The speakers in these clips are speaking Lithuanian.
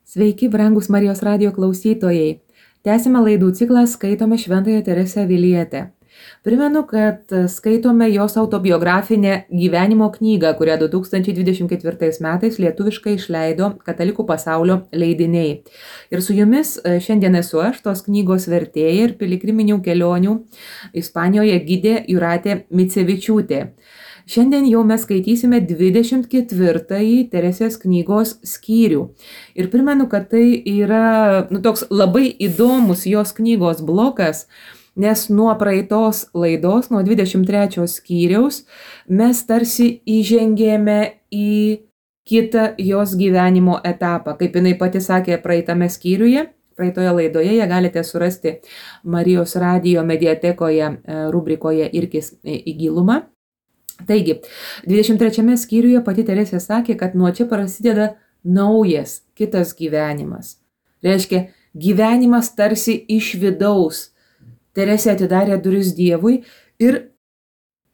Sveiki, brangus Marijos radijo klausytojai. Tęsime laidų ciklą Skaitome Šventąją Teresę Avilietę. Primenu, kad skaitome jos autobiografinę gyvenimo knygą, kurią 2024 metais lietuviškai išleido Katalikų pasaulio leidiniai. Ir su jumis šiandien esu aš, tos knygos vertėja ir piligriminių kelionių Ispanijoje gidė Jūratė Micevičiūtė. Šiandien jau mes skaitysime 24-ąjį Teresės knygos skyrių. Ir primenu, kad tai yra toks labai įdomus jos knygos blokas, nes nuo praeitos laidos, nuo 23 skyriaus, mes tarsi įžengėme į kitą jos gyvenimo etapą. Kaip jinai pati sakė praeitame skyriuje, praeitoje laidoje, ją galite surasti Marijos radijo mediatekoje rubrikoje Irkis į gilumą. Taigi, 23 skyriuje pati Teresė sakė, kad nuo čia prasideda naujas, kitas gyvenimas. Reiškia, gyvenimas tarsi iš vidaus. Teresė atidarė duris Dievui ir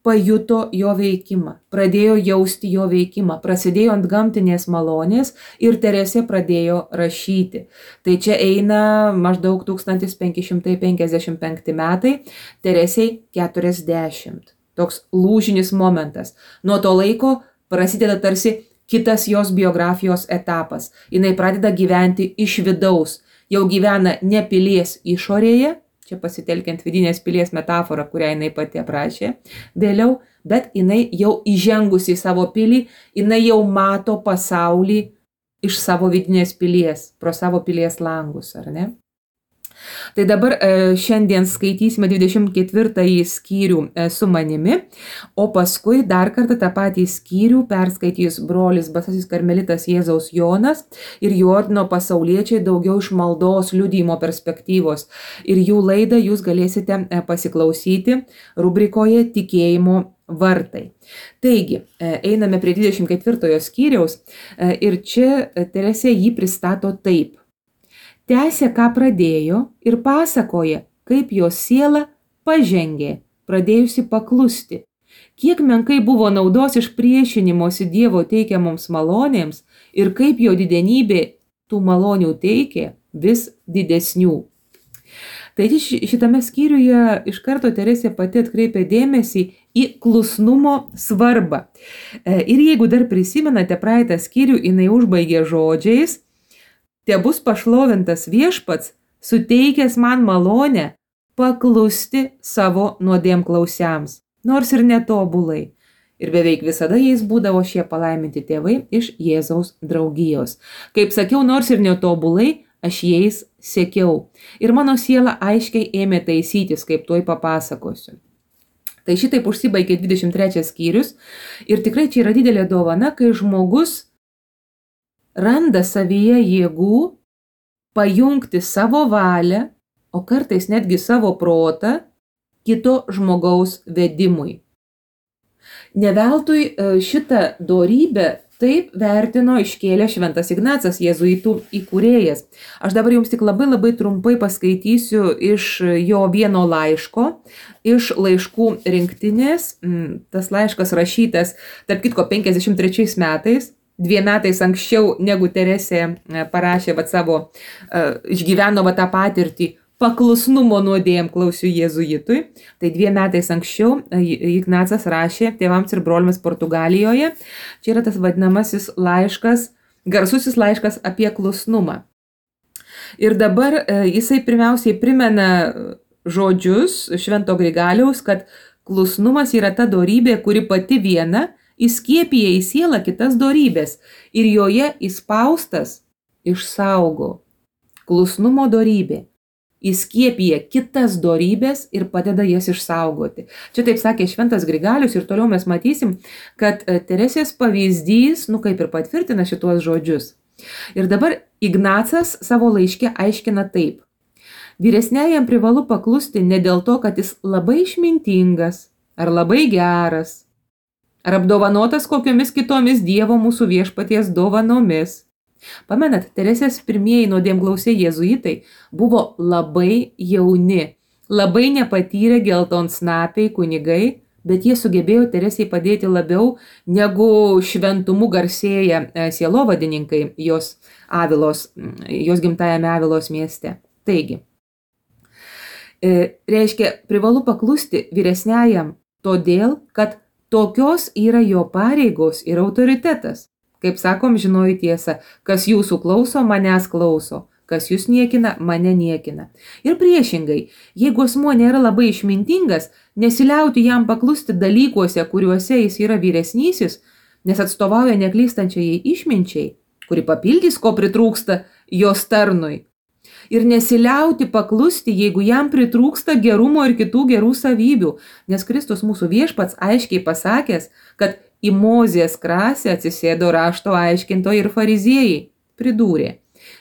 pajuto jo veikimą, pradėjo jausti jo veikimą, prasidėjo antgamtinės malonės ir Teresė pradėjo rašyti. Tai čia eina maždaug 1555 metai, Teresei 40. Toks lūžinis momentas. Nuo to laiko prasideda tarsi kitas jos biografijos etapas. Jinai pradeda gyventi iš vidaus. Jau gyvena ne pilies išorėje, čia pasitelkiant vidinės pilies metaforą, kurią jinai pati aprašė vėliau, bet jinai jau įžengusi į savo pilį, jinai jau mato pasaulį iš savo vidinės pilies, pro savo pilies langus, ar ne? Tai dabar šiandien skaitysime 24 skyrių su manimi, o paskui dar kartą tą patį skyrių perskaitys brolis Basasis karmelitas Jėzaus Jonas ir jų ordino pasauliečiai daugiau iš maldos liudijimo perspektyvos. Ir jų laidą jūs galėsite pasiklausyti rubrikoje Tikėjimo vartai. Taigi, einame prie 24 skyriaus ir čia Teresė jį pristato taip. Tęsė, ką pradėjo ir pasakoja, kaip jo siela pažengė, pradėjusi paklusti. Kiek menkai buvo naudos iš priešinimosi Dievo teikiamoms malonėms ir kaip jo didenybė tų malonių teikė vis didesnių. Tai šitame skyriuje iš karto Teresė pati atkreipia dėmesį į klusnumo svarbą. Ir jeigu dar prisimenate praeitą skyrių, jinai užbaigė žodžiais: Te bus pašlovintas viešpats, suteikęs man malonę paklusti savo nuodėmklausiams, nors ir netobulai. Ir beveik visada jais būdavo šie palaiminti tėvai iš Jėzaus draugijos. Kaip sakiau, nors ir netobulai, aš jais sekiau. Ir mano siela aiškiai ėmė taisytis, kaip tuoj papasakosiu. Tai šitaip užsibaigė 23 skyrius. Ir tikrai čia yra didelė dovana, kai žmogus randa savyje jėgų pajungti savo valią, o kartais netgi savo protą kito žmogaus vedimui. Neveltui šitą dorybę taip vertino iškėlė šventas Ignacas, jėzuitų įkūrėjas. Aš dabar jums tik labai trumpai paskaitysiu iš jo vieno laiško, iš laiškų rinktinės. Tas laiškas rašytas, tarp kitko, 53 metais. 2 metais anksčiau, negu Teresė parašė savo, išgyveno tą patirtį paklusnumo nuodėmklausių jėzuitui. Tai 2 metais anksčiau Ignacas rašė tėvams ir broliams Portugalijoje. Čia yra tas vadinamasis laiškas, garsusis laiškas apie klusnumą. Ir dabar jisai pirmiausiai primena žodžius Švento Grigaliaus, kad klusnumas yra ta dorybė, kuri pati viena įskiepija į sielą kitas dorybės ir joje įspaustas išsaugo. Klusnumo dorybė įskiepija kitas dorybės ir padeda jas išsaugoti. Čia taip sakė Šventas Grigalius ir toliau mes matysim, kad Teresės pavyzdys, kaip ir patvirtina šituos žodžius. Ir dabar Ignacas savo laiške aiškina taip. Vyresniajam privalu paklusti ne dėl to, kad jis labai išmintingas ar labai geras, ar apdovanotas kokiomis kitomis Dievo mūsų viešpaties dovanomis. Pamenat, Teresės pirmieji nuodėmklausiai jėzuitai buvo labai jauni, labai nepatyrę geltonsnapiai kunigai, bet jie sugebėjo Teresei padėti labiau negu šventumu garsėja sielovadininkai jos gimtajame Avilos mieste. Taigi, reiškia, privalu paklusti vyresniajam todėl, kad tokios yra jo pareigos ir autoritetas. Kaip sakom, žinoju tiesą, kas jūsų klauso, manęs klauso, kas jūs niekina, mane niekina. Ir priešingai, jeigu asmuo nėra labai išmintingas, nesiliauti jam paklusti dalykuose, kuriuose jis yra vyresnysis, nes atstovauja neklystančiai išminčiai, kuri papildys, ko pritrūksta jos tarnui. Ir nesiliauti paklusti, jeigu jam pritrūksta gerumo ir kitų gerų savybių, nes Kristus mūsų viešpats aiškiai pasakęs, kad į Mozės krasę atsisėdo rašto aiškintojai ir fariziejai, pridūrė: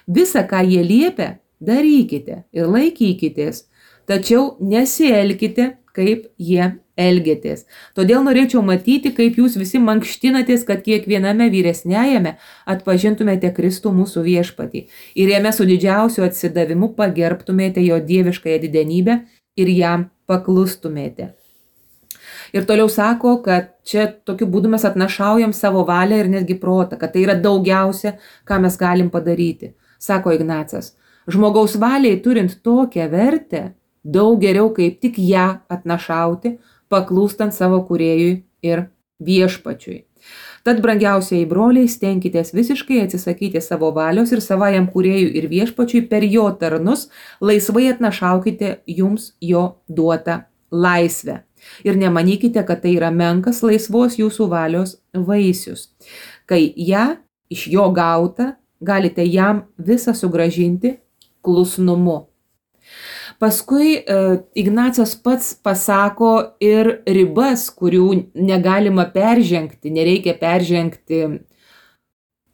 visa, ką jie liepia, darykite ir laikykitės, tačiau nesielkite, kaip jie elgiatės. Todėl norėčiau matyti, kaip jūs visi mankštinatės, kad kiekviename vyresniajame atpažintumėte Kristų mūsų viešpatį ir jame su didžiausiu atsidavimu pagerbtumėte jo dieviškąją didenybę ir jam paklustumėte. Ir toliau sako, kad čia tokiu būdu mes atnašaujam savo valią ir netgi protą, kad tai yra daugiausia, ką mes galim padaryti. Sako Ignacas, žmogaus valiai turint tokią vertę, daug geriau kaip tik ją atnašauti, paklūstant savo kūrėjui ir viešpačiui. Tad, brangiausieji broliai, stenkitės visiškai atsisakyti savo valios ir savajam kūrėjui ir viešpačiui per jo tarnus, laisvai atnašaukite jums jo duotą laisvę. Ir nemanykite, kad tai yra menkas laisvos jūsų valios vaisius. Kai ją iš jo gauta, galite jam visą sugrąžinti klusnumu. Paskui Ignacas pats pasako ir ribas, kurių negalima peržengti, nereikia peržengti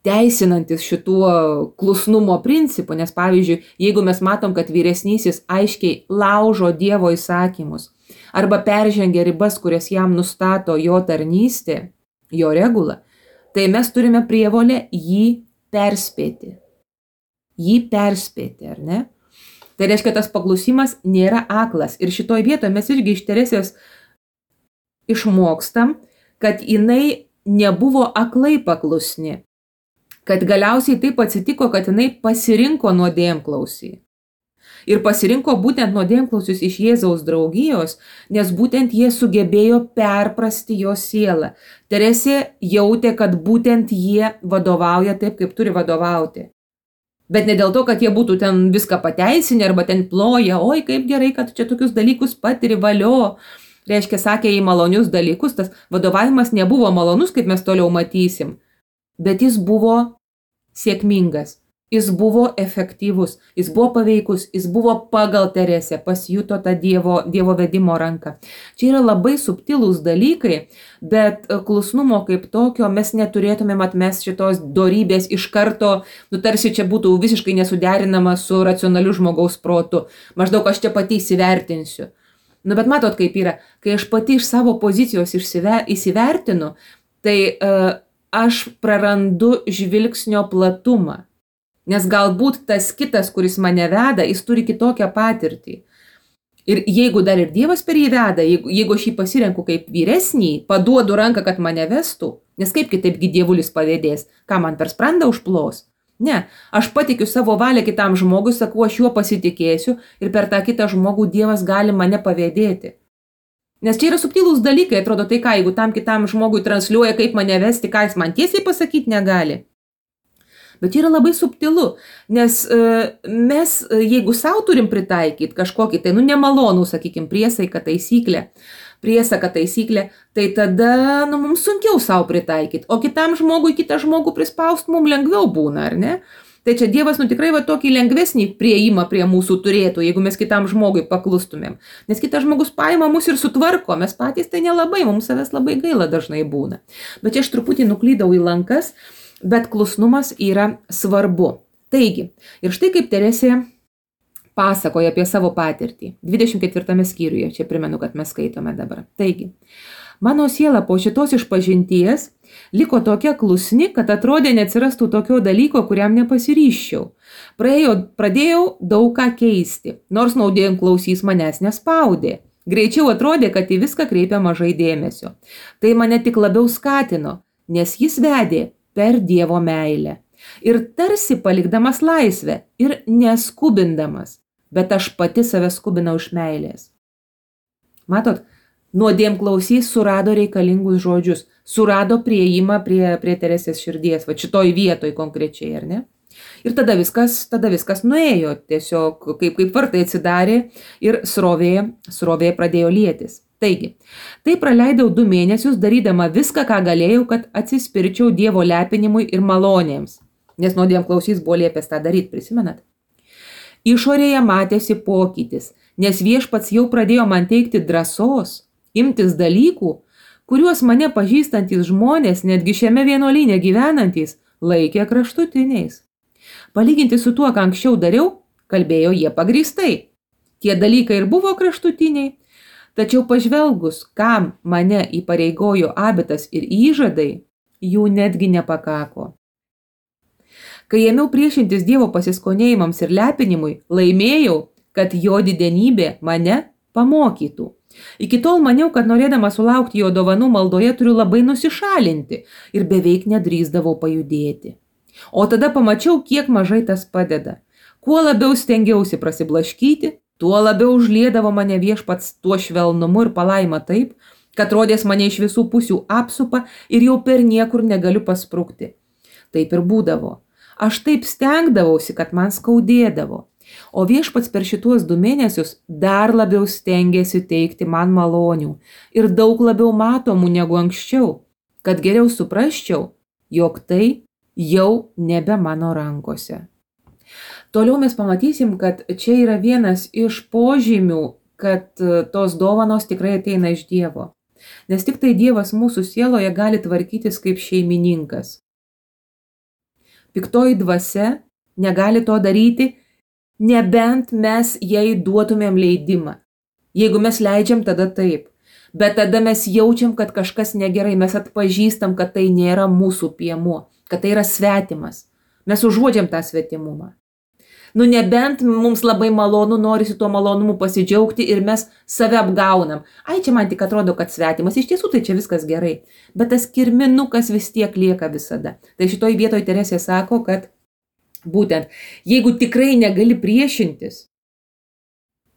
teisinantis šituo klusnumo principu, nes pavyzdžiui, jeigu mes matom, kad vyresnysis aiškiai laužo Dievo įsakymus arba peržengia ribas, kurias jam nustato jo tarnystė, jo regula, tai mes turime prievolę jį perspėti. Jį perspėti, ar ne? Tai reiškia, tas paklusimas nėra aklas. Ir šitoj vietoje mes irgi iš Teresės išmokstam, kad jinai nebuvo aklai paklusni. Kad galiausiai taip atsitiko, kad jinai pasirinko nuodėmklausį. Ir pasirinko būtent nuodėmklausius iš Jėzaus draugijos, nes būtent jie sugebėjo perprasti jo sielą. Teresė jautė, kad būtent jie vadovauja taip, kaip turi vadovauti. Bet ne dėl to, kad jie būtų ten viską pateisinę arba ten ploja, oi, kaip gerai, kad čia tokius dalykus patiri, valio. Reiškia, sakė į malonius dalykus, tas vadovavimas nebuvo malonus, kaip mes toliau matysim, bet jis buvo sėkmingas, jis buvo efektyvus, jis buvo paveikus, jis buvo pagal Teresę, pasijuto tą Dievo vedimo ranką. Čia yra labai subtilūs dalykai, bet klusnumo kaip tokio mes neturėtumėm atmesti šitos dorybės iš karto, tarsi čia būtų visiškai nesuderinama su racionaliu žmogaus protu. Maždaug aš čia pati įsivertinsiu. Bet matot, kaip yra, kai aš pati iš savo pozicijos įsivertinu, tai aš prarandu žvilgsnio platumą. Nes galbūt tas kitas, kuris mane veda, jis turi kitokią patirtį. Ir jeigu dar ir Dievas per jį veda, jeigu aš jį pasirenku kaip vyresnį, paduodu ranką, kad mane vestų, nes kaip kitaipgi Dievulis pavėdės, ką man per sprandą užplos? Ne, aš patikiu savo valią kitam žmogui, sakau, aš juo pasitikėsiu ir per tą kitą žmogų Dievas gali mane pavėdėti. Nes čia yra subtilūs dalykai, atrodo, tai ką, jeigu tam kitam žmogui transliuoja, kaip mane vesti, ką jis man tiesiai pasakyti negali. Bet čia yra labai subtilu, nes mes, jeigu savo turim pritaikyti kažkokį, tai nemalonų, sakykime, priesaką taisyklę, tai tada mums sunkiau savo pritaikyti, o kitam žmogui, kitą žmogų prispaust mums lengviau būna, ar ne? Tai čia Dievas tikrai tokį lengvesnį priėjimą prie mūsų turėtų, jeigu mes kitam žmogui paklustumėm. Nes kitas žmogus paima mus ir sutvarko, mes patys tai nelabai, mums savęs labai gaila dažnai būna. Bet čia aš truputį nuklydau į lankas, bet klusnumas yra svarbu. Taigi, ir štai kaip Teresė pasakoja apie savo patirtį. 24 skyriuje, čia primenu, kad mes skaitome dabar. Taigi, mano siela po šitos išpažinties liko tokia klusni, kad atrodė neatsirastų tokio dalyko, kuriam nepasiryščiau. Pradėjau daug ką keisti, nors nuodėmklausys manęs nespaudė. Greičiau atrodė, kad į viską kreipia mažai dėmesio. Tai mane tik labiau skatino, nes jis vedė per Dievo meilę. Ir tarsi palikdamas laisvę ir neskubindamas, bet aš pati save skubinau iš meilės. Matot, nuodėmklausys surado reikalingus žodžius, surado priėjimą prie Teresės širdies, va šitoj vietoj konkrečiai, ar ne? Ir tada viskas nuėjo, tiesiog kaip vartai atsidarė ir srovė pradėjo lietis. Taigi, tai praleidau 2 mėnesius darydama viską, ką galėjau, kad atsispirčiau Dievo lepinimui ir malonėms, nes nuodėmklausys buvo liepęs tą daryti, prisimenat? Išorėje matėsi pokytis, nes Viešpats jau pradėjo man teikti drąsos, imtis dalykų, kuriuos mane pažįstantys žmonės, netgi šiame vienuolyne gyvenantys, laikė kraštutiniais. Palyginti su tuo, ką anksčiau dariau, kalbėjo jie pagrįstai. Tie dalykai ir buvo kraštutiniai, tačiau pažvelgus, kam mane įpareigojo abitas ir įžadai, jų netgi nepakako. Kai ėmiau priešintis Dievo pasiskonėjimams ir lepinimui, laimėjau, kad jo didenybė mane pamokytų. Iki tol maniau, kad norėdama sulaukti jo dovanų maldoje turiu labai nusišalinti ir beveik nedrįsdavau pajudėti. O tada pamačiau, kiek mažai tas padeda. Kuo labiau stengiausi prasiblaškyti, tuo labiau užliedavo mane Viešpats tuo švelnumu ir palaima taip, kad rodės mane iš visų pusių apsupa ir jau per niekur negaliu pasprukti. Taip ir būdavo. Aš taip stengdavausi, kad man skaudėdavo. O Viešpats per šituos 2 mėnesius dar labiau stengėsi teikti man malonių ir daug labiau matomų negu anksčiau, kad geriau suprasčiau, jog tai jau nebe mano rankose. Toliau mes pamatysim, kad čia yra vienas iš požymių, kad tos dovanos tikrai ateina iš Dievo. Nes tik tai Dievas mūsų sieloje gali tvarkytis kaip šeimininkas. Piktoji dvasia negali to daryti, nebent mes jai duotumėm leidimą. Jeigu mes leidžiam, tada taip. Bet tada mes jaučiam, kad kažkas negerai, mes atpažįstam, kad tai nėra mūsų piemuo, kad tai yra svetimas. Mes užuodžiam tą svetimumą. Nebent mums labai malonu, norisi tuo malonumu pasidžiaugti ir mes save apgaunam. Ai, čia man tik atrodo, kad svetimas. Iš tiesų tai čia viskas gerai. Bet tas kirminukas vis tiek lieka visada. Tai šitoj vietoj Teresė sako, kad būtent, jeigu tikrai negali priešintis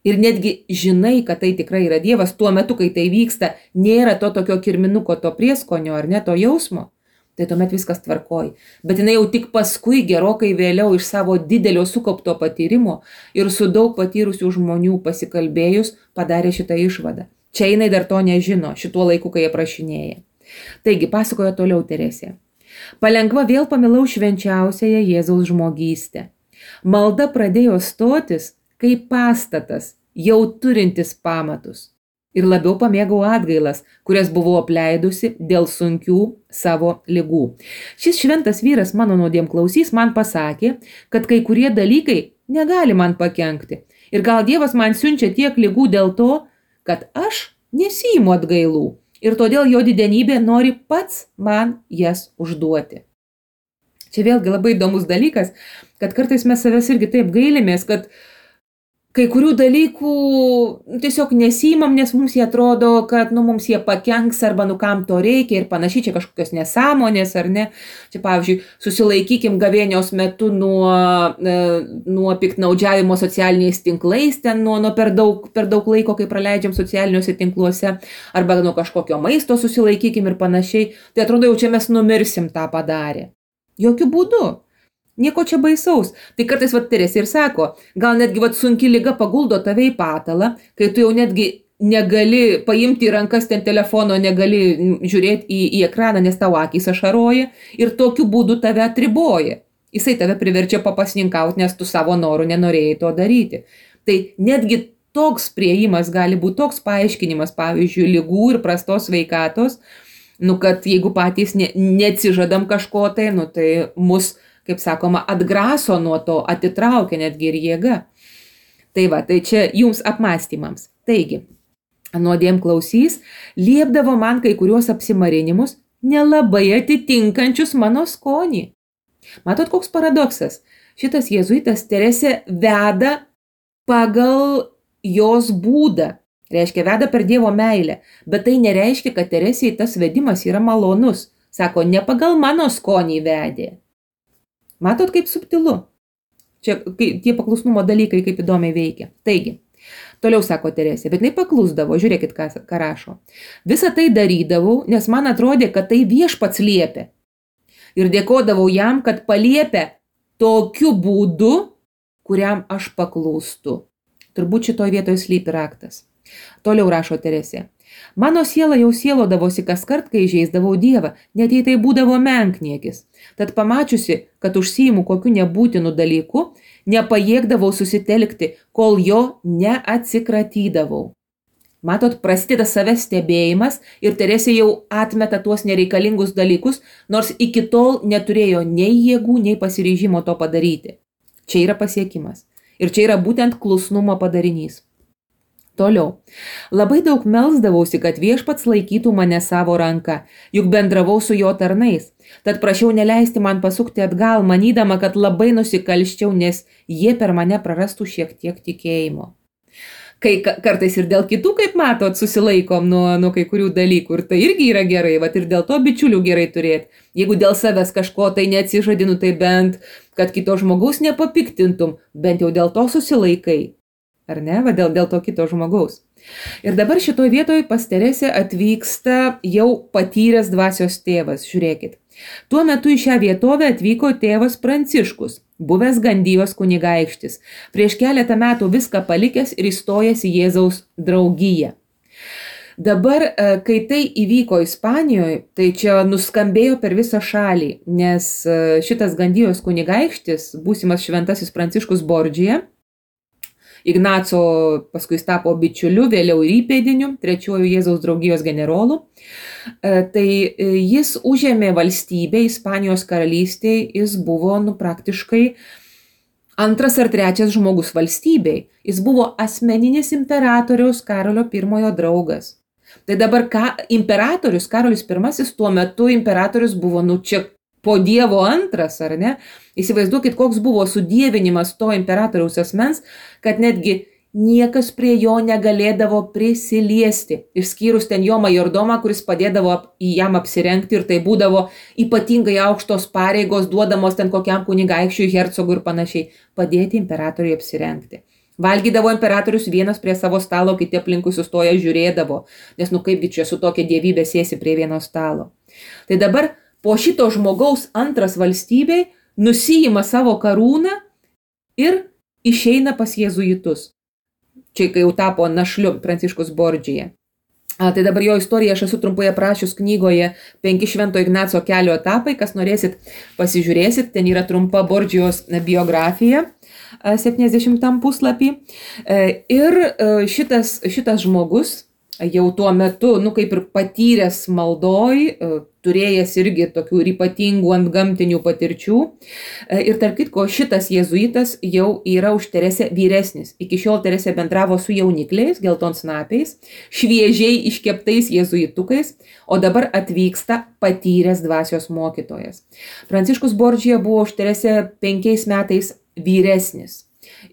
ir netgi žinai, kad tai tikrai yra Dievas, tuo metu, kai tai vyksta, nėra to tokio kirminuko, to prieskonio ar ne, to jausmo, tai tuomet viskas tvarkoj. Bet jinai jau tik paskui gerokai vėliau iš savo didelio sukaupto patyrimo ir su daug patyrusių žmonių pasikalbėjus padarė šitą išvadą. Čia jinai dar to nežino, šituo laiku, kai aprašinėja. Taigi, pasakoja toliau Teresė. Palengva vėl pamilau švenčiausiąją Jėzaus žmogystę. Malda pradėjo stotis kaip pastatas, jau turintis pamatus. Ir labiau pamėgau atgailas, kurias buvau apleidusi dėl sunkių savo ligų. Šis šventas vyras mano nuodėmklausys man pasakė, kad kai kurie dalykai negali man pakenkti. Ir gal Dievas man siunčia tiek ligų dėl to, kad aš nesiimu atgailų. Ir todėl jo didenybė nori pats man jas užduoti. Čia vėlgi labai įdomus dalykas, kad kartais mes savęs irgi taip gailimės, kad kai kurių dalykų tiesiog nesiimam, nes mums jie atrodo, kad mums jie pakenks arba kam to reikia ir panašiai, čia kažkokios nesąmonės ar ne. Čia pavyzdžiui, susilaikykim gavėnios metu nuo piktnaudžiavimo socialiniais tinklais, ten nuo per daug laiko, kai praleidžiam socialiniuose tinkluose, arba nuo kažkokio maisto susilaikykim ir panašiai. Tai atrodo, jau čia mes numirsim tą padarę. Jokių būdų. Nieko čia baisaus. Tai kartais Teresė ir sako, gal netgi sunki liga paguldo tave į patalą, kai tu jau netgi negali paimti į rankas ten telefono, negali žiūrėti į ekraną, nes tavo akys ašaroja ir tokiu būdu tave atriboja. Jisai tave priverčia papasninkauti, nes tu savo norų nenorėjai to daryti. Tai netgi toks priėjimas gali būti toks paaiškinimas, pavyzdžiui, ligų ir prastos sveikatos, kad jeigu patys neatsižadam kažko tai, tai mus, kaip sakoma, atgraso nuo to, atitraukia netgi ir jėga. Tai čia jums apmąstymams. Taigi, nuodėmklausys liepdavo man kai kuriuos apsimarinimus nelabai atitinkančius mano skonį. Matot, koks paradoksas? Šitas jėzuitas Teresė veda pagal jos būdą. Reiškia, veda per Dievo meilę, bet tai nereiškia, kad Teresijai tas vedimas yra malonus. Sako, ne pagal mano skonį vedė. Matot, kaip subtilu? Čia tie paklusnumo dalykai kaip įdomiai veikia. Taigi, toliau sako Teresė, bet jinai paklusdavo, žiūrėkit, ką rašo. Visą tai darydavau, nes man atrodė, kad tai viešpats liepė. Ir dėkodavau jam, kad paliepė tokiu būdu, kuriam aš paklūstu. Turbūt šitoj vietoje slypi raktas. Toliau rašo Teresė. Mano siela jau sielodavosi kas kart, kai žeisdavau Dievą, net jei tai būdavo menkniekis. Tad pamačiusi, kad užsiimu kokiu nebūtinu dalyku, nepajėgdavau susitelkti, kol jo neatsikratydavau. Matot, prasideda savęs stebėjimas ir Teresė jau atmeta tuos nereikalingus dalykus, nors iki tol neturėjo nei jėgų, nei pasiryžimo to padaryti. Čia yra pasiekimas. Ir čia yra būtent klusnumo padarinys. Toliau. Labai daug melsdavausi, kad viešpats laikytų mane savo ranką, juk bendravau su jo tarnais. Tad prašiau neleisti man pasukti atgal, manydama, kad labai nusikalščiau, nes jie per mane prarastų šiek tiek tikėjimo. Kai kartais ir dėl kitų, kaip matot, susilaikom nuo kai kurių dalykų. Ir tai irgi yra gerai, vat ir dėl to bičiulių gerai turėti. Jeigu dėl savęs kažko tai neatsižadinu, tai bent, kad kito žmogaus nepapiktintum, bent jau dėl to susilaikai. Ar ne? Va dėl to kito žmogaus. Ir dabar šitoj vietoj pas Teresę atvyksta jau patyręs dvasios tėvas. Žiūrėkit. Tuo metu į šią vietovę atvyko tėvas Pranciškus, buvęs Gandijos kunigaikštis, prieš keletą metų viską palikęs ir įstojęs į Jėzaus draugiją. Dabar, kai tai įvyko Ispanijoje, tai čia nuskambėjo per visą šalį, nes šitas Gandijos kunigaikštis, būsimas šventasis Pranciškus Bordžija, Ignaco paskui jis tapo bičiuliu, vėliau ir įpėdiniu, trečiuoju Jėzaus draugijos generolu. Tai jis užėmė valstybę Ispanijos karalystėje, jis buvo praktiškai antras ar trečias žmogus valstybei. Jis buvo asmeninis imperatoriaus Karolio I draugas. Tai dabar imperatorius Karolis I tuo metu imperatorius buvo čia po Dievo antras, ar ne? Įsivaizduokit, koks buvo sudievinimas to imperatoriaus asmens, kad netgi niekas prie jo negalėdavo prisiliesti, išskyrus ten jo majordomą, kuris padėdavo jam apsirengti ir tai būdavo ypatingai aukštos pareigos duodamos ten kokiam kunigaikščiui, hercogui ir panašiai, padėti imperatoriui apsirengti. Valgydavo imperatorius vienas prie savo stalo, kiti aplinkui sustoja žiūrėdavo, nes kaipgi čia su tokia dievybė sėsi prie vieno stalo. Tai dabar po šito žmogaus antras valstybei nusiima savo karūną ir išeina pas jėzuitus. Čia kai jau tapo našliu Pranciškus Bordžija. Tai dabar jo istoriją aš esu trumpai aprašius knygoje 5 Švento Ignaco kelio etapai, kas norėsit pasižiūrėsit, ten yra trumpa Bordžijos biografija 70 puslapį. Ir šitas žmogus jau tuo metu, kaip ir patyręs maldoj, turėjęs irgi tokių ir ypatingų antgamtinių patirčių. Ir tarp kitko, šitas jėzuitas jau yra už Teresę vyresnis. Iki šiol Teresė bendravo su jaunikliais, geltonsnapiais, šviežiai iškeptais jėzuitukais, o dabar atvyksta patyręs dvasios mokytojas. Pranciškus Bordžija buvo už Teresę 5 metais vyresnis.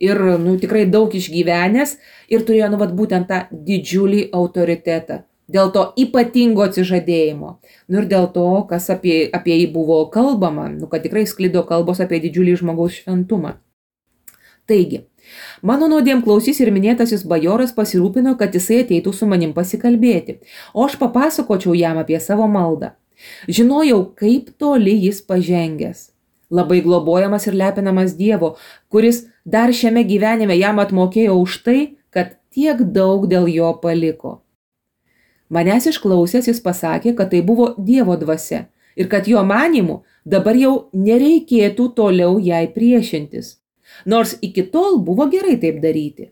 Ir tikrai daug išgyvenęs ir turėjo būtent tą didžiulį autoritetą. Dėl to ypatingo atsižadėjimo. Ir dėl to, kas apie jį buvo kalbama, kad tikrai sklido kalbos apie didžiulį žmogaus šventumą. Taigi, mano nuodėmklausys ir minėtasis bajoras pasirūpino, kad jisai ateitų su manim pasikalbėti, o aš papasakočiau jam apie savo maldą. Žinojau, kaip toli jis pažengęs. Labai globojamas ir lepinamas Dievo, kuris dar šiame gyvenime jam atmokėjo už tai, kad tiek daug dėl jo paliko. Manęs išklausęs jis pasakė, kad tai buvo Dievo dvasia ir kad jo manymu dabar jau nereikėtų toliau jai priešintis. Nors iki tol buvo gerai taip daryti.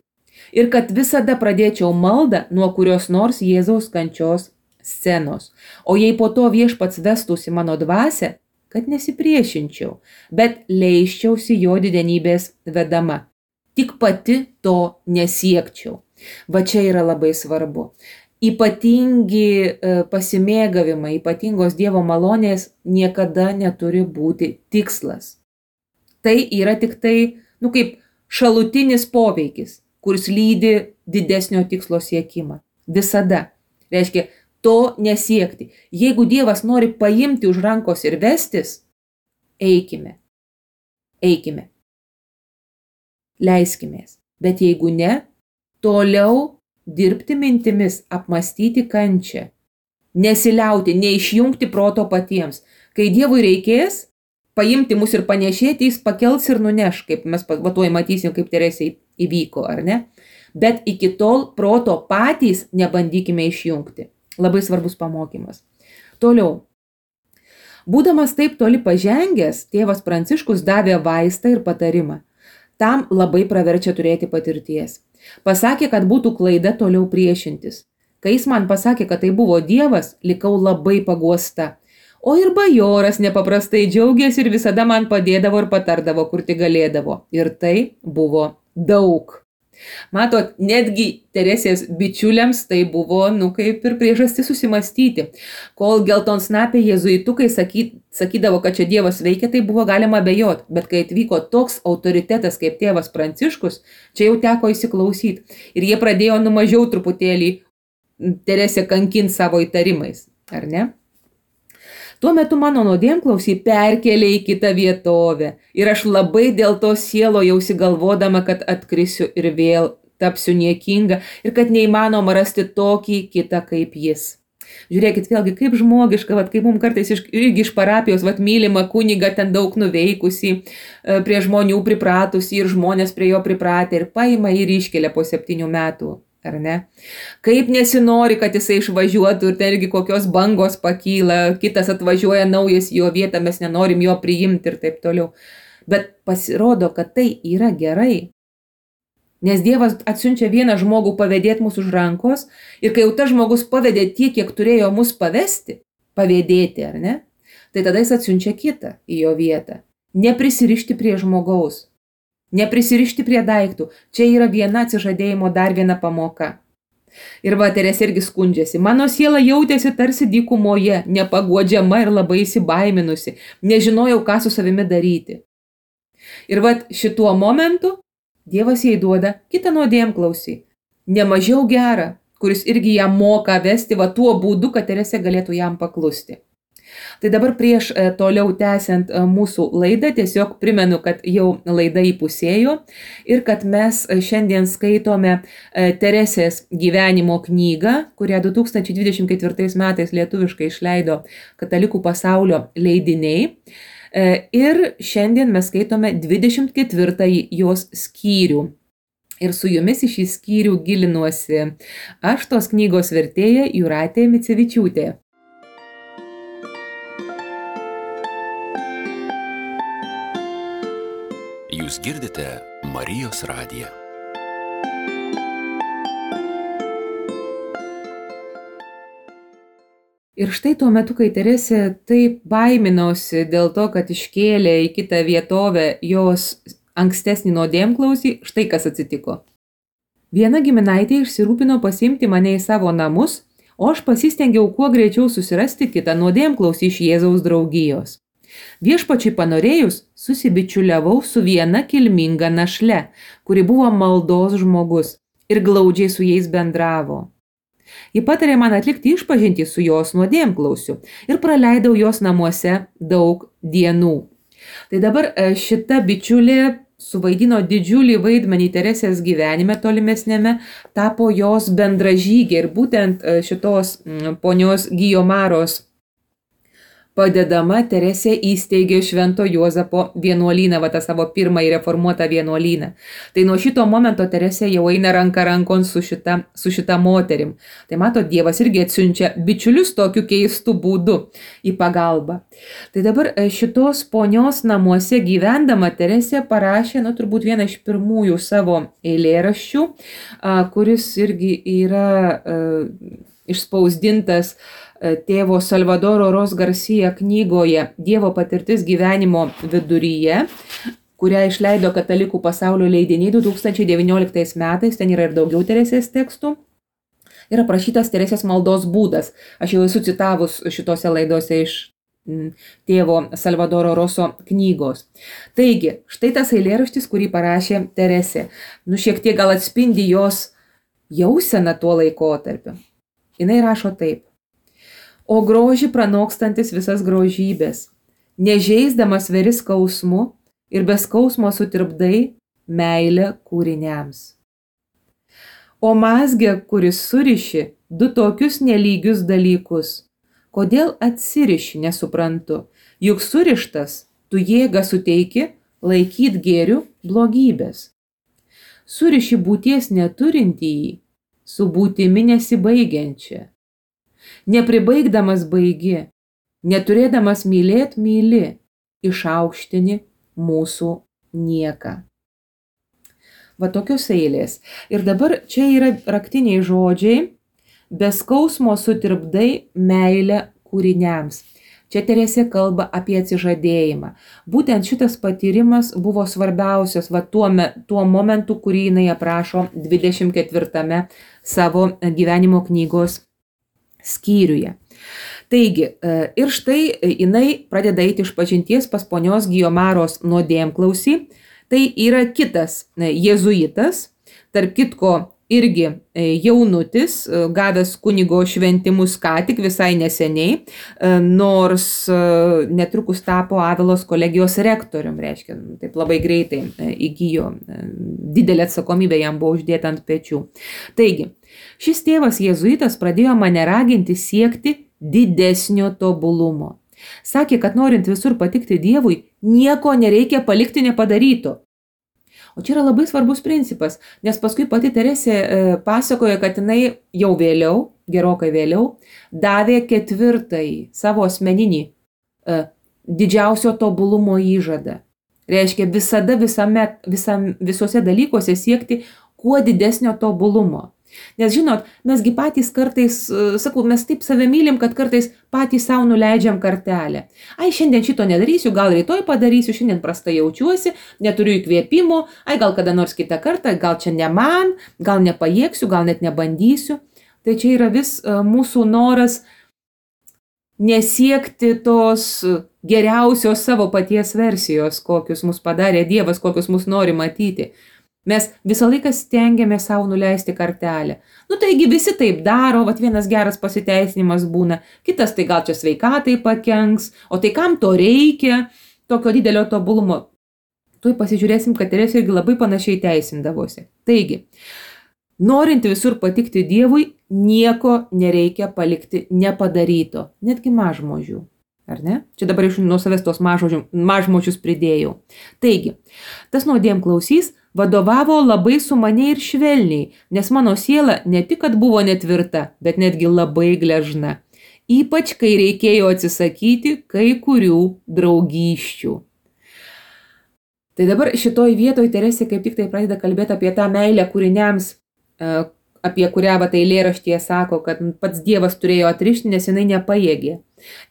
Ir kad visada pradėčiau maldą nuo kurios nors Jėzaus kančios scenos. O jei po to viešpats vestųsi mano dvasią, kad nesipriešinčiau, bet leisčiausi jo didenybės vedama. Tik pati to nesiekčiau. Va čia yra labai svarbu. Ypatingi pasimėgavimai, ypatingos Dievo malonės niekada neturi būti tikslas. Tai yra tik tai, kaip šalutinis poveikis, kuris lydi didesnio tikslo siekimą. Visada. Reiškia, to nesiekti. Jeigu Dievas nori paimti už rankos ir vestis, eikime. Eikime. Leiskimės. Bet jeigu ne, toliau dirbti mintimis, apmąstyti kančią. Nesiliauti, neišjungti proto patiems. Kai Dievui reikės, paimti mus ir panešėti, jis pakels ir nuneš, kaip mes tuoj matysim, kaip Teresei įvyko, ar ne? Bet iki tol proto patys nebandykime išjungti. Labai svarbus pamokymas. Toliau. Būdamas taip toli pažengęs, tėvas Pranciškus davė vaistą ir patarimą. Tam labai praverčia turėti patirties. Pasakė, kad būtų klaida toliau priešintis. Kai jis man pasakė, kad tai buvo Dievas, likau labai paguosta. O ir bajoras nepaprastai džiaugėsi ir visada man padėdavo ir patardavo, kur tik galėdavo. Ir tai buvo daug. Matot, netgi Teresės bičiuliams tai buvo, kaip ir priežastis susimastyti. Kol geltonsnapiai jėzuitukai sakydavo, kad čia Dievas veikia, tai buvo galima abejoti. Bet kai atvyko toks autoritetas kaip tėvas Pranciškus, čia jau teko įsiklausyti. Ir jie pradėjo mažiau truputėlį Teresę kankinti savo įtarimais, ar ne? Tuo metu mano nuodėmklausį perkėlė į kitą vietovę ir aš labai dėl to sielojausi galvodama, kad atkrisiu ir vėl tapsiu niekinga ir kad neįmanoma rasti tokį kitą kaip jis. Žiūrėkit vėlgi, kaip žmogiška, kaip mums kartais irgi iš parapijos, mylimą kunigą ten daug nuveikusi, prie žmonių pripratusi ir žmonės prie jo pripratę ir paima ir iškelia po 7 metų. Ar ne? Kaip nesinori, kad jisai išvažiuotų ir irgi kokios bangos pakyla, kitas atvažiuoja naujas į jo vietą, mes nenorim jo priimti ir taip toliau. Bet pasirodo, kad tai yra gerai. Nes Dievas atsiunčia vieną žmogų pavedėti mūsų už rankos ir kai jau tas žmogus pavedė tiek, kiek turėjo mus pavėdėti, ar ne? Tai tada jis atsiunčia kitą į jo vietą. Neprisirišti prie žmogaus. Neprisirišti prie daiktų. Čia yra viena atsižadėjimo dar viena pamoka. Ir Teresė irgi skundžiasi. Mano siela jautėsi tarsi dykumoje, nepaguodžiama ir labai įsibaiminusi. Nežinojau, ką su savimi daryti. Ir šituo momentu Dievas jai duoda kitą nuodėmklausį. Nemažiau gerą, kuris irgi ją moka vesti tuo būdu, kad Teresė galėtų jam paklusti. Tai dabar prieš toliau tęsiant mūsų laidą, tiesiog primenu, kad jau laida įpusėjo ir kad mes šiandien skaitome Teresės gyvenimo knygą, kurią 2024 metais lietuviškai išleido Katalikų pasaulio leidiniai. Ir šiandien mes skaitome 24 jos skyrių. Ir su jumis į šį skyrių gilinuosi aš, tos knygos vertėja Jūratė Micevičiūtė. Jūs girdite Marijos radiją. Ir štai tuo metu, kai Teresė taip baiminosi dėl to, kad iškėlė į kitą vietovę jos ankstesnį nuodėmklausį, štai kas atsitiko. Viena giminaitė išsirūpino pasiimti mane į savo namus, o aš pasistengiau kuo greičiau susirasti kitą nuodėmklausį iš Jėzaus draugijos. Viešpačiui panorėjus, susibičiuliavau su viena kilminga našle, kuri buvo maldos žmogus ir glaudžiai su jais bendravo. Ji patarė man atlikti išpažintį su jos nuodėmklausiu ir praleidau jos namuose daug dienų. Tai dabar šita bičiulė suvaidino didžiulį vaidmenį Teresės gyvenime tolimesnėme, tapo jos bendražygė ir būtent šitos ponios Gijomaros padedama Teresė įsteigė Švento Juozapo vienuolyną, tą savo pirmąjį reformuotą vienuolyną. Tai nuo šito momento Teresė jau eina ranka rankon su šita moterim. Tai mato, Dievas irgi atsiunčia bičiulius tokiu keistu būdu į pagalbą. Tai dabar šitos ponios namuose gyvendama Teresė parašė, turbūt vieną iš pirmųjų savo eilėraščių, kuris irgi yra išspausdintas tėvo Salvadoro Ros Garcia knygoje Dievo patirtis gyvenimo viduryje, kurią išleido Katalikų pasaulio leidiniai 2019 metais, ten yra ir daugiau Teresės tekstų. Yra aprašytas Teresės maldos būdas. Aš jau esu citavus šitose laidose iš tėvo Salvadoro Roso knygos. Taigi, štai tas eilėraštis, kurį parašė Teresė. Šiek tiek gal atspindi jos jausena tuo laikotarpiu. Jinai rašo taip. O grožį pranokstantis visas grožybės, nežeisdamas veri skausmu ir be skausmo sutirpdai meilę kūriniams. O mazgė, kuris suriši du tokius nelygius dalykus, kodėl atsiriši, nesuprantu, juk surištas tu jėgą suteiki laikyt gėrių blogybės. Suriši būties neturintįjį su būtimi nesibaigiančia. Nepribaigdamas baigi, neturėdamas mylėt myli, išaukštini mūsų nieką. Va tokios eilės. Ir dabar čia yra raktiniai žodžiai, be skausmo sutirpdai meilę kūriniams. Čia Teresė kalba apie atsižadėjimą. Būtent šitas patyrimas buvo svarbiausias tuo momentu, kurį jinai aprašo 24 savo gyvenimo knygos skyriuje. Taigi, ir štai jinai pradeda eiti iš pažinties pas ponios Gijomaros nuodėmklausį. Tai yra kitas jėzuitas, tarp kitko irgi jaunutis, gavęs kunigo šventimus ką tik visai neseniai, nors netrukus tapo Avilos kolegijos rektorium, reiškia, taip labai greitai įgijo, didelė atsakomybė jam buvo uždėta ant pečių. Taigi, šis tėvas jėzuitas pradėjo mane raginti siekti didesnio tobulumo. Sakė, kad norint visur patikti Dievui, nieko nereikia palikti nepadaryto. O čia yra labai svarbus principas, nes paskui pati Teresė pasakoja, kad jinai jau vėliau, gerokai vėliau, davė 4. savo asmeninį didžiausio tobulumo įžadą. Reiškia, visada visuose dalykuose siekti kuo didesnio tobulumo. Nes žinot, mesgi patys kartais, sakau, mes taip save mylim, kad kartais patys savo nuleidžiam kartelę. Ai, šiandien šito nedarysiu, gal rytoj padarysiu, šiandien prastai jaučiuosi, neturiu įkvėpimo, ai, gal kada nors kitą kartą, gal čia ne man, gal nepajėgsiu, gal net nebandysiu. Tai čia yra vis mūsų noras nesiekti tos geriausios savo paties versijos, kokius mus padarė Dievas, kokius mus nori matyti. Mes visą laiką stengiame savo nuleisti kartelę. Taigi visi taip daro, vienas geras pasiteisinimas būna, kitas tai gal čia sveikatai pakenks, o tai kam to reikia, tokio didelio tobulumo. Tuoj pasižiūrėsim, kad Teresė irgi labai panašiai teisindavosi. Taigi, norint visur patikti Dievui, nieko nereikia palikti nepadaryto, netgi mažmožių. Ar ne? Čia dabar iš nuo savęs tos mažmožius pridėjau. Taigi, tas nuodėmklausys vadovavo labai sumaniai ir švelniai, nes mano siela ne tik, kad buvo netvirta, bet netgi labai gležna. Ypač, kai reikėjo atsisakyti kai kurių draugysčių. Tai dabar šitoj vietoj Teresė kaip tik tai pradeda kalbėti apie tą meilę kūriniams, apie kurią eilėraštyje sako, kad pats Dievas turėjo atrišti, nes jinai nepajėgė.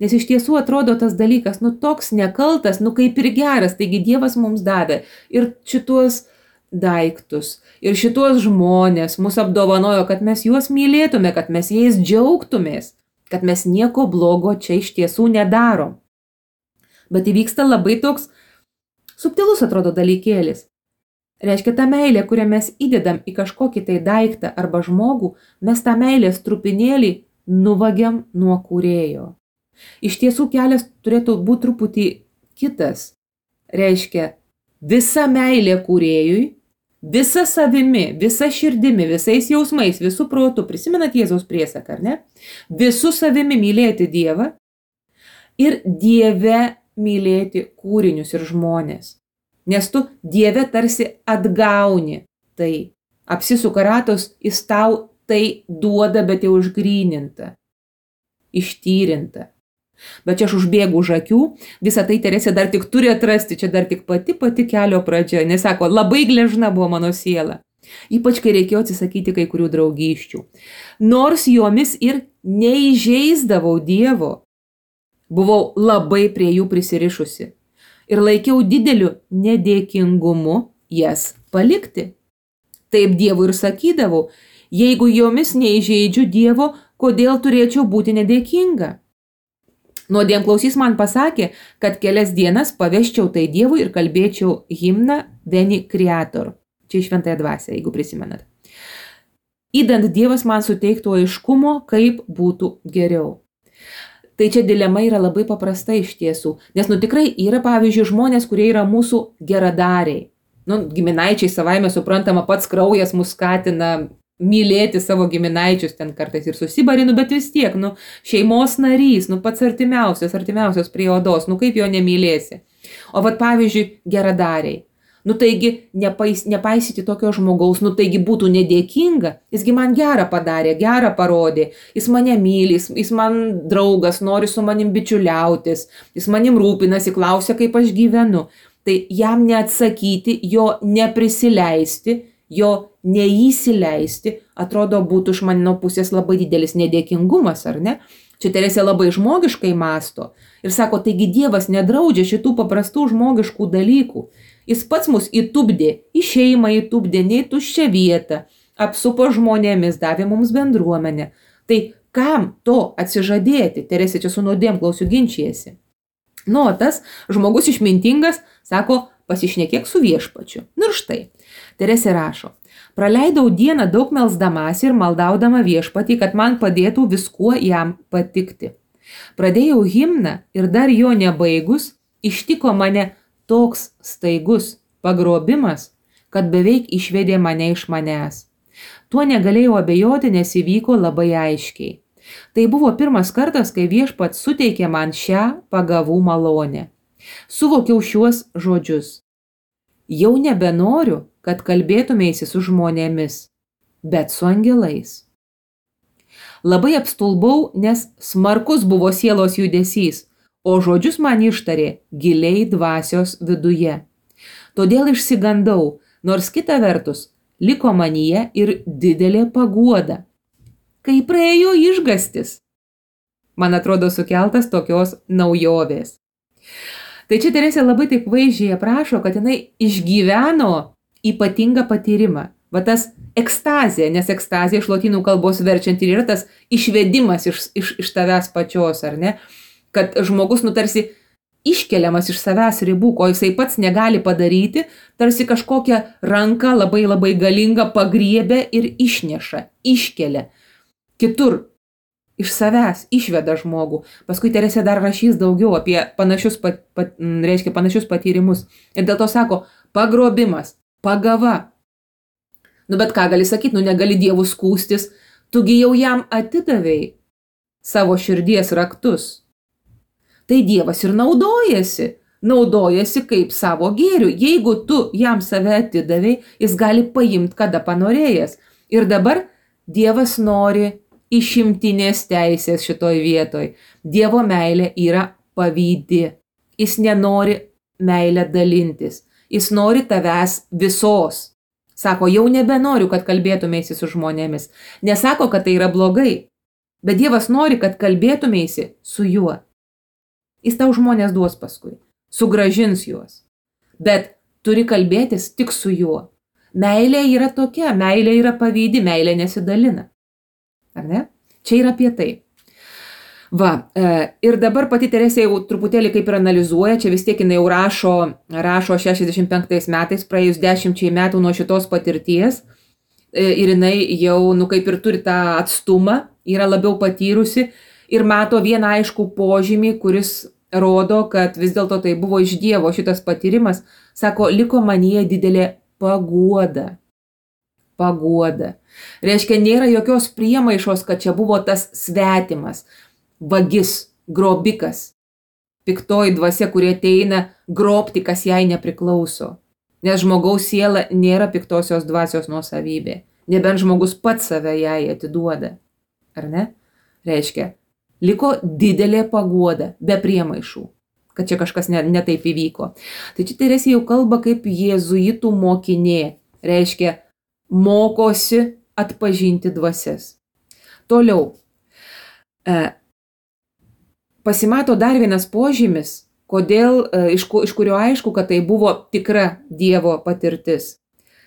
Nes iš tiesų atrodo tas dalykas, toks nekaltas, kaip ir geras, taigi Dievas mums davė ir šitos daiktus, ir šitos žmonės mus apdovanojo, kad mes juos mylėtume, kad mes jais džiaugtumės, kad mes nieko blogo čia iš tiesų nedarom. Bet įvyksta labai toks subtilus atrodo dalykėlis. Reiškia, ta meilė, kurią mes įdedam į kažkokį tai daiktą arba žmogų, mes tą meilės trupinėlį nuvagiam nuo kūrėjo. Iš tiesų kelias turėtų būti truputį kitas. Reiškia, visa meilė kūrėjui, visa savimi, visa širdimi, visais jausmais, visų protų, prisimenat Jėzaus priesaką, ar ne? Visų savimi mylėti Dievą ir Dieve mylėti kūrinius ir žmonės. Nes tu Dieve tarsi atgauni tai, apsisuka ratos, jis tau tai duoda, bet jau išgryninta, ištyrinta. Bet čia aš užbėgu už akių, visą tai Teresė dar tik turi atrasti, čia dar tik pati kelio pradžia, nes sako, labai gležna buvo mano siela. Ypač, kai reikėjo atsisakyti kai kurių draugysčių. Nors jomis ir neįžeisdavau Dievo, buvau labai prie jų prisirišusi ir laikiau dideliu nedėkingumu jas palikti. Taip Dievui ir sakydavau, jeigu jomis neįžeidžiu Dievo, kodėl turėčiau būti nedėkinga? Nuodėmklausys man pasakė, kad kelias dienas paveščiau tai Dievui ir kalbėčiau himną Veni Creator. Čia iš Šventąją dvasią, jeigu prisimenat. Įdant Dievas man suteiktų aiškumo, kaip būtų geriau. Tai čia dilema yra labai paprasta iš tiesų, nes tikrai yra, pavyzdžiui, žmonės, kurie yra mūsų geradariai. Giminaičiai savaime suprantama, pats kraujas mus skatina mylėti savo giminaičius, ten kartais ir susibarinu, bet vis tiek, šeimos narys, pats artimiausias prie odos, kaip jo nemylėsi. O pavyzdžiui, geradariai. Taigi, nepaisyti tokio žmogaus, taigi būtų nedėkinga, jisgi man gerą padarė, gerą parodė, jis mane myli, jis man draugas, nori su manim bičiuliautis, jis manim rūpinasi, klausia, kaip aš gyvenu. Tai jam neatsakyti, jo neprisileisti, jo neįsileisti, atrodo, būtų iš mano pusės labai didelis nedėkingumas, ar ne? Čia Teresė labai žmogiškai mąsto ir sako, taigi Dievas nedraudžia šitų paprastų žmogiškų dalykų. Jis pats mus įtupdė, į šeimą įtupdė, ne į tuščią vietą, apsupo žmonėmis, davė mums bendruomenę. Tai kam to atsižadėti? Teresė čia su nuodėmklausiu ginčijasi. Tas žmogus išmintingas sako, pasišnekėk su viešpačiu. Ir štai, Teresė rašo, praleidau dieną daug melsdamasi ir maldaudama viešpatį, kad man padėtų viskuo jam patikti. Pradėjau himną ir dar jo nebaigus, ištiko mane toks staigus pagrobimas, kad beveik išvedė mane iš manęs. Tuo negalėjau abejoti, nes įvyko labai aiškiai. Tai buvo pirmas kartas, kai viešpats suteikė man šią pagavų malonę. Suvokiau šiuos žodžius. Jau nebenoriu, kad kalbėtumėsi su žmonėmis, bet su angelais. Labai apstulbau, nes smarkus buvo sielos judesys, o žodžius man ištarė giliai dvasios viduje. Todėl išsigandau, nors kita vertus liko manyje ir didelė paguoda. Kai praėjo išgastis, man atrodo sukeltas tokios naujovės. Tai čia Teresė labai taip vaizdžiai aprašo, kad jinai išgyveno ypatingą patyrimą. Tas ekstazė, nes ekstazė iš lotynų kalbos verčiant ir yra tas išvedimas iš tavęs pačios, ar ne? Kad žmogus tarsi iškeliamas iš savęs ribų, ko jisai pats negali padaryti, tarsi kažkokią ranką labai labai galingą pagriebia ir išneša, iškelia. Kitur iš savęs išveda žmogų. Paskui Teresė dar rašys daugiau apie panašius patyrimus. Ir dėl to sako, pagrobimas, pagava. Bet ką gali sakyti, negali Dievų skūstis, tugi jau jam atidavei savo širdies raktus. Tai Dievas ir naudojasi kaip savo gėriu. Jeigu tu jam save atidavei, jis gali paimti, kada panorėjęs. Ir dabar Dievas nori išimtinės teisės šitoj vietoj. Dievo meilė yra pavydi. Jis nenori meilę dalintis. Jis nori tavęs visos. Sako, jau nebenoriu, kad kalbėtumėsi su žmonėmis. Nesako, kad tai yra blogai. Bet Dievas nori, kad kalbėtumėsi su juo. Jis tau žmonės duos paskui. Sugrąžins juos. Bet turi kalbėtis tik su juo. Meilė yra tokia, meilė yra pavydi, meilė nesidalina. Ar ne? Čia yra apie tai. Ir dabar pati Teresė jau truputėlį kaip ir analizuoja, čia vis tiek jinai jau rašo 65 metais, praėjus 10 metų nuo šitos patirties, ir jinai jau, kaip ir turi tą atstumą, yra labiau patyrusi ir mato vieną aiškų požymį, kuris rodo, kad vis dėlto tai buvo iš Dievo šitas patyrimas, sako, liko manyje didelė paguoda. Paguoda. Reiškia, nėra jokios priemaišos, kad čia buvo tas svetimas, vagis, grobikas, piktoji dvasia, kurie ateina grobti, kas jai nepriklauso. Nes žmogaus siela nėra piktosios dvasios nuosavybė. Nebent žmogus pats save jai atiduoda. Ar ne? Reiškia, liko didelė paguoda, be priemaišų, kad čia kažkas ne taip įvyko. Tai čia Teresė jau kalba kaip jėzuitų mokinė. Reiškia, mokosi atpažinti dvasias. Toliau. Pasimato dar vienas požymis, iš kurio aišku, kad tai buvo tikra Dievo patirtis.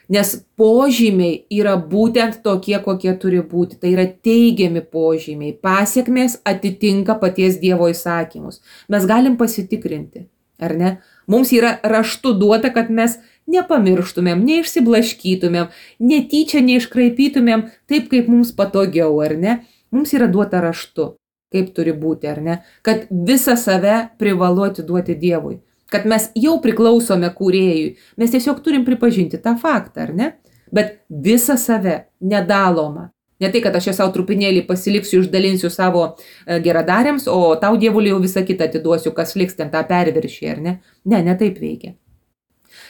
Nes požymiai yra būtent tokie, kokie turi būti. Tai yra teigiami požymiai. Pasekmės atitinka paties Dievo įsakymus. Mes galim pasitikrinti, ar ne? Mums yra raštu duota, kad mes nepamirštumėm, neišsiblaškytumėm, netyčia neiškraipytumėm taip, kaip mums patogiau, ar ne? Mums yra duota raštu, kaip turi būti, ar ne? Kad visą save privalu atiduoti Dievui. Kad mes jau priklausome kūrėjui. Mes tiesiog turim pripažinti tą faktą, ar ne? Bet visą save, nedalomą. Ne tai, kad aš savo trupinėlį pasiliksiu, išdalinsiu savo geradariams, o tau Dievulį jau visą kitą atiduosiu, kas liks ten tą perviršį, ar ne? Ne taip veikia.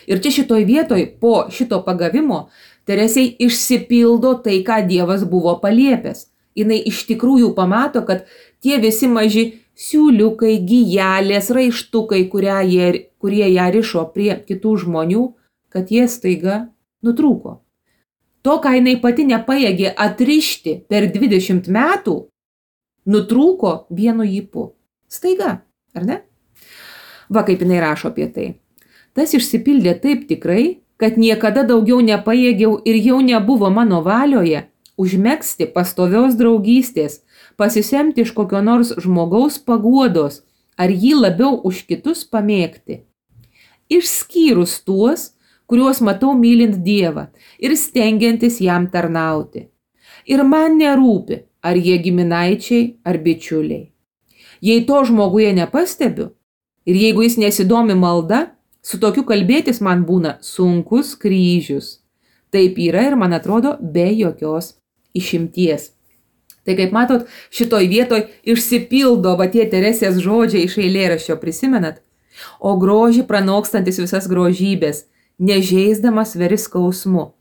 Ir čia šitoj vietoj, po šito pagavimo, Teresei išsipildo tai, ką Dievas buvo paliepęs. Jinai iš tikrųjų pamato, kad tie visi maži siūliukai, gijelės, raištukai, kurie ją rišo prie kitų žmonių, kad jie staiga nutrūko. To, ką jinai pati nepajėgė atrišti per 20 metų, nutrūko vienu ypu. Staiga, ar ne? Va, kaip jinai rašo apie tai. Tas išsipildė taip tikrai, kad niekada daugiau nepajėgiau ir jau nebuvo mano valioje užmegzti pastovios draugystės, pasisemti iš kokio nors žmogaus paguodos, ar jį labiau už kitus pamėgti. Išskyrus tuos, kuriuos matau mylint Dievą ir stengiantis jam tarnauti. Ir man nerūpi, ar jie giminaičiai, ar bičiuliai. Jei to žmoguje nepastebiu, ir jeigu jis nesidomi malda, su tokiu kalbėtis man būna sunkus kryžius. Taip yra ir man atrodo be jokios išimties. Tai kaip matot, šitoj vietoj išsipildo va tie Teresės žodžiai iš eilėraščio, prisimenat? O grožį pranokstantis visas grožybės, nežeisdamas sveri skausmu.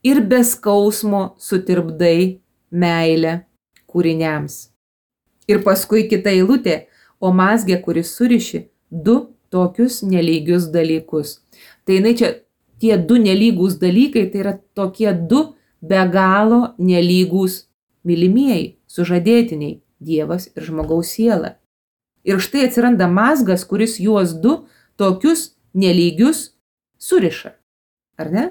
Ir be skausmo sutirpdai meilę kūriniams. Ir paskui kita eilutė, o mazgė, kuris suriši du tokius nelygius dalykus. Tai jinai čia tie du nelygus dalykai, tai yra tokie du be galo nelygus mylimieji, sužadėtiniai, Dievas ir žmogaus siela. Ir štai atsiranda mazgas, kuris juos du tokius nelygius suriša. Ar ne?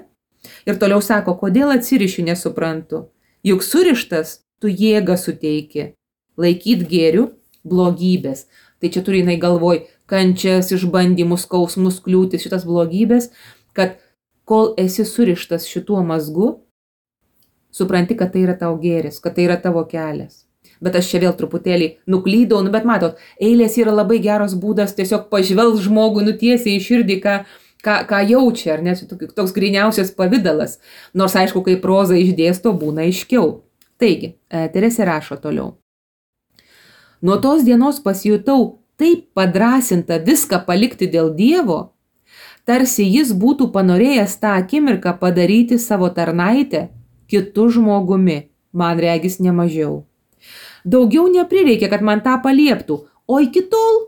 Ir toliau sako, kodėl atsirišiu, nesuprantu. Juk surištas tu jėgą suteiki. Laikyt gėrių blogybės. Tai čia turi jinai galvoj kančias, išbandymus, skausmus, kliūtis, šitas blogybės, kad kol esi surištas šituo mazgu, supranti, kad tai yra tau gėris, kad tai yra tavo kelias. Bet aš čia vėl truputėlį nuklydau, bet matot, eilės yra labai geras būdas tiesiog pažvelgt žmogui nutiesiai į širdį, ką jaučia, ar ne, toks gryniausias pavidalas. Nors aišku, kai proza išdėsto, būna aiškiau. Taigi, Teresė rašo toliau. Nuo tos dienos pasijutau taip padrasinta viską palikti dėl Dievo, tarsi jis būtų panorėjęs tą akimirką padaryti savo tarnaitę kitu žmogumi, man regis nemažiau. Daugiau neprireikia, kad man tą palieptų, o iki tol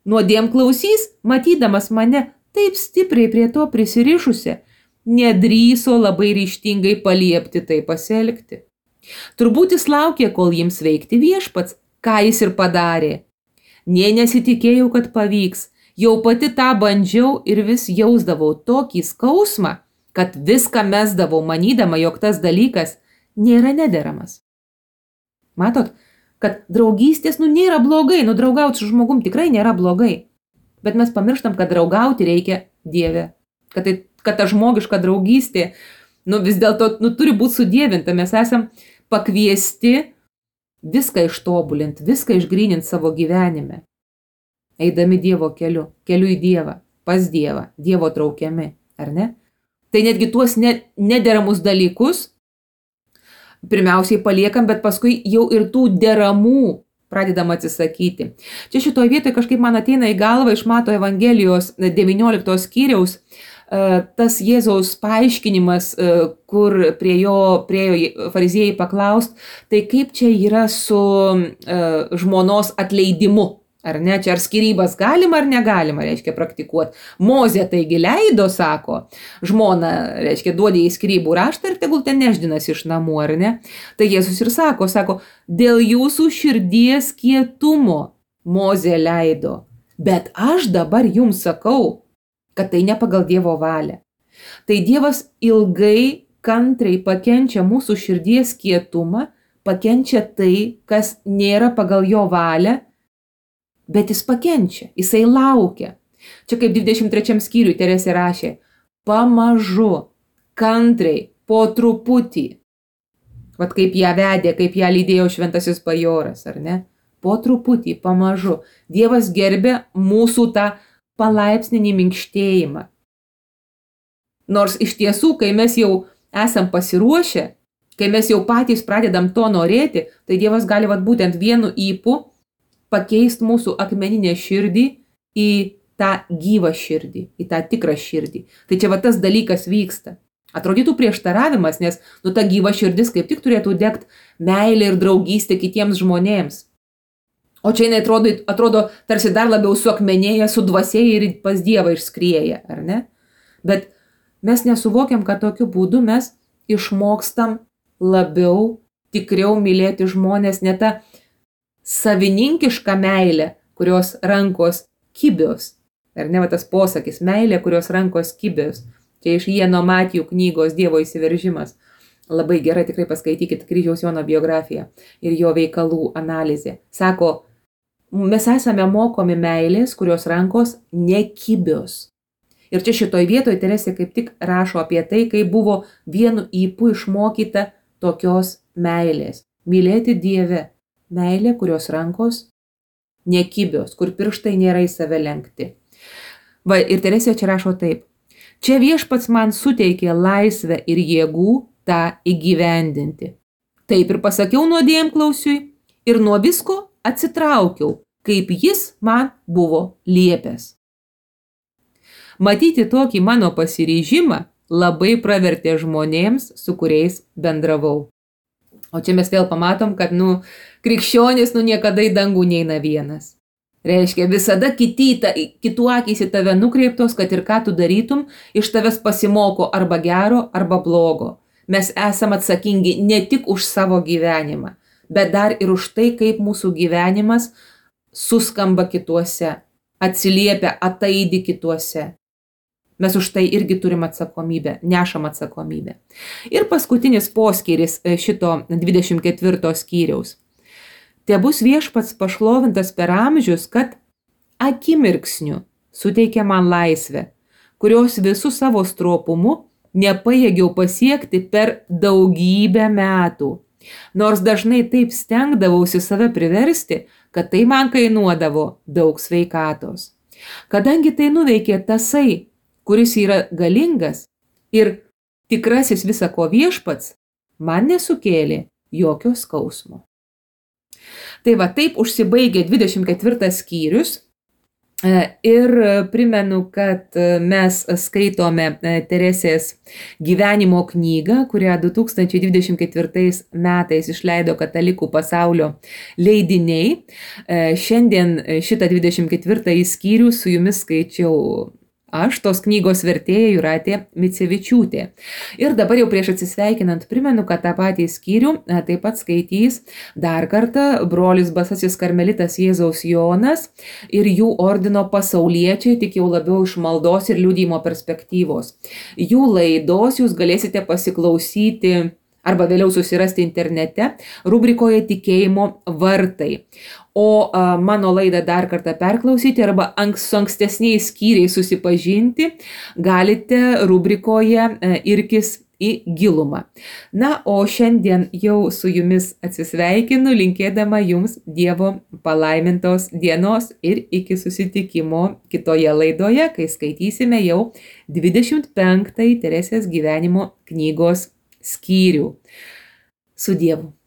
nuodėm klausys, matydamas mane taip stipriai prie to prisirišusi, nedrįso labai ryžtingai paliepti tai pasielgti. Turbūt jis laukė, kol jiems veikti viešpats, ką jis ir padarė. Nė nesitikėjau, kad pavyks, jau pati tą bandžiau ir vis jausdavau tokį skausmą, kad viską mesdavau, manydama, jog tas dalykas nėra nederamas. Matot, kad draugystės nėra blogai, draugauti su žmogum tikrai nėra blogai. Bet mes pamirštam, kad draugauti reikia Dieve. Kad ta žmogiška draugystė, vis dėlto turi būti sudievinta. Mes esam pakviesti viską ištobulinti, viską išgryninti savo gyvenime. Eidami Dievo keliu į Dievą, pas Dievą, Dievo traukiami, ar ne? Tai netgi tuos nederamus dalykus pirmiausiai paliekam, bet paskui jau ir tų deramų pradedam atsisakyti. Čia šitoje vietoje kažkaip man ateina į galvą iš Mato Evangelijos 19 skyriaus tas Jėzaus paaiškinimas, kur priejo fariziejai paklaust, tai kaip čia yra su žmonos atleidimu. Ar ne, čia ar skyrybas galima ar negalima, reiškia, praktikuoti. Mozė taigi leido, sako, žmona, reiškia, duodė į skyrybų raštą ir tegul ten nešdinasi iš namų, ar ne? Tai Jėzus ir sako, dėl jūsų širdies kietumo Mozė leido, bet aš dabar jums sakau, kad tai ne pagal Dievo valią. Tai Dievas ilgai, kantriai pakenčia mūsų širdies kietumą, pakenčia tai, kas nėra pagal jo valią, bet jis pakenčia, jisai laukia. Čia kaip 23 skyriui Teresė rašė, pamažu, kantriai, po truputį. Vat kaip ją vedė, kaip ją lydėjo šventasis bajoras, ar ne? Po truputį, pamažu. Dievas gerbė mūsų tą palaipsninį minkštėjimą. Nors iš tiesų, kai mes jau esam pasiruošę, kai mes jau patys pradedam to norėti, tai Dievas gali vat būtent vienu ypu pakeisti mūsų akmeninę širdį į tą gyvą širdį, į tą tikrą širdį. Tai čia va tas dalykas vyksta. Atrodytų prieštaravimas, nes ta gyva širdis kaip tik turėtų degti meilė ir draugystė kitiems žmonėms. O čia jinai atrodo tarsi dar labiau suakmenėja, sudvasėja ir pas Dievą išskrieja, ar ne? Bet mes nesuvokiam, kad tokiu būdu mes išmokstam labiau, tikriau mylėti žmonės, ne tą savininkišką meilę, kurios rankos kibios. Ar ne, va tas posakis, meilė, kurios rankos kibios. Čia iš Jeno Matijų knygos Dievo įsiveržimas. Labai gerai, tikrai paskaitykit Kryžiaus Jono biografiją ir jo veikalų analizė. Sako, mes esame mokomi meilės, kurios rankos nekibios. Ir čia šitoj vietoj Teresė kaip tik rašo apie tai, kai buvo vienu ypu išmokyta tokios meilės. Mylėti Dieve. Meilė, kurios rankos nekibios, kur pirštai nėra į save lenkti. Va, ir Teresė čia rašo taip. Čia viešpats man suteikė laisvę ir jėgų tą įgyvendinti. Taip ir pasakiau nuodėmklausiui ir nuo visko atsitraukiau, kaip jis man buvo liepęs. Matyti tokį mano pasiryžimą labai pravertė žmonėms, su kuriais bendravau. O čia mes vėl pamatom, kad, krikščionis, niekada į dangų neina vienas. Reiškia, visada kitų akys į tave nukreiptos, kad ir ką tu darytum, iš tavęs pasimoko arba gero, arba blogo. Mes esam atsakingi ne tik už savo gyvenimą, bet dar ir už tai, kaip mūsų gyvenimas suskamba kituose, atsiliepia, ataidi kituose. Mes už tai irgi turim atsakomybę, nešam atsakomybę. Ir paskutinis poskyris šito 24 skyriaus. Te bus viešpats pašlovintas per amžius, kad akimirksniu suteikia man laisvę, kurios visų savo stropumu nepajėgiau pasiekti per daugybę metų. Nors dažnai taip stengdavausi save priversti, kad tai man kainuodavo daug sveikatos. Kadangi tai nuveikė tasai, kuris yra galingas ir tikrasis visako viešpats, man nesukėlė jokio skausmo. Tai va, taip užsibaigė 24 skyrius ir primenu, kad mes skaitome Teresės gyvenimo knygą, kurią 2024 metais išleido Katalikų pasaulio leidiniai. Šiandien šitą 24 skyrių su jumis skaičiau aš, tos knygos vertėja Jūratė Micevičiūtė. Ir dabar jau prieš atsisveikinant primenu, kad tą patį skyrių taip pat skaitys dar kartą brolis Basasis karmelitas Jėzaus Jonas ir jų ordino pasauliečiai, tik jau labiau iš maldos ir liudijimo perspektyvos. Jų laidos jūs galėsite pasiklausyti arba vėliau susirasti internete rubrikoje Tikėjimo vartai. O mano laidą dar kartą perklausyti arba su ankstesniais skyriais susipažinti galite rubrikoje Irkis į gilumą. Na, o šiandien jau su jumis atsisveikinu, linkėdama jums Dievo palaimintos dienos ir iki susitikimo kitoje laidoje, kai skaitysime jau 25 Teresės gyvenimo knygos skyrių. Su Dievu.